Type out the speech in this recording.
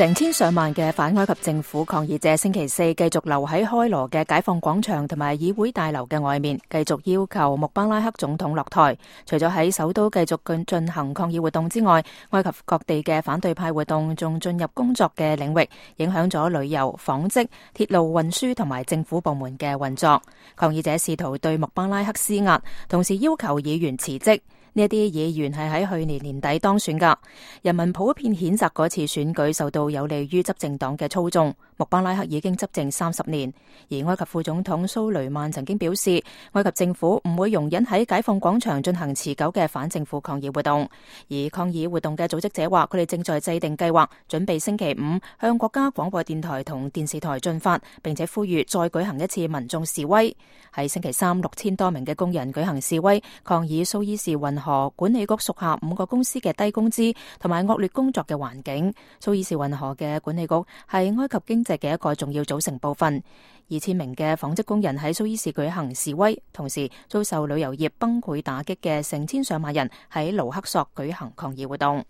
成千上萬嘅反埃及政府抗議者星期四繼續留喺開羅嘅解放廣場同埋議會大樓嘅外面，繼續要求穆巴拉克總統落台。除咗喺首都繼續進行抗議活動之外，埃及各地嘅反對派活動仲進入工作嘅領域，影響咗旅遊、紡織、鐵路運輸同埋政府部門嘅運作。抗議者試圖對穆巴拉克施壓，同時要求議員辭職。呢一啲議員係喺去年年底當選噶，人民普遍譴責嗰次選舉受到有利於執政黨嘅操縱。穆巴拉克已經執政30年，而埃及副總統蘇雷曼曾經表示，埃及政府唔會容忍喺解放廣場進行持久嘅反政府抗議活動。而抗議活動嘅組織者話，佢哋正在制定計劃，準備星期5向國家廣播電台同電視台進發，並且呼籲再舉行一次民眾示威。喺星期3 6000多名嘅工人舉行示威，抗議蘇伊士運河管理局屬下5個公司嘅低工資同埋惡劣工作嘅環境。蘇伊士運河嘅管理局係埃及經濟嘅一個重要組成部分。2000名嘅紡織工人喺蘇伊士舉行示威，同時遭受旅遊業崩潰打擊嘅成千上萬人喺盧克索舉行抗議活動。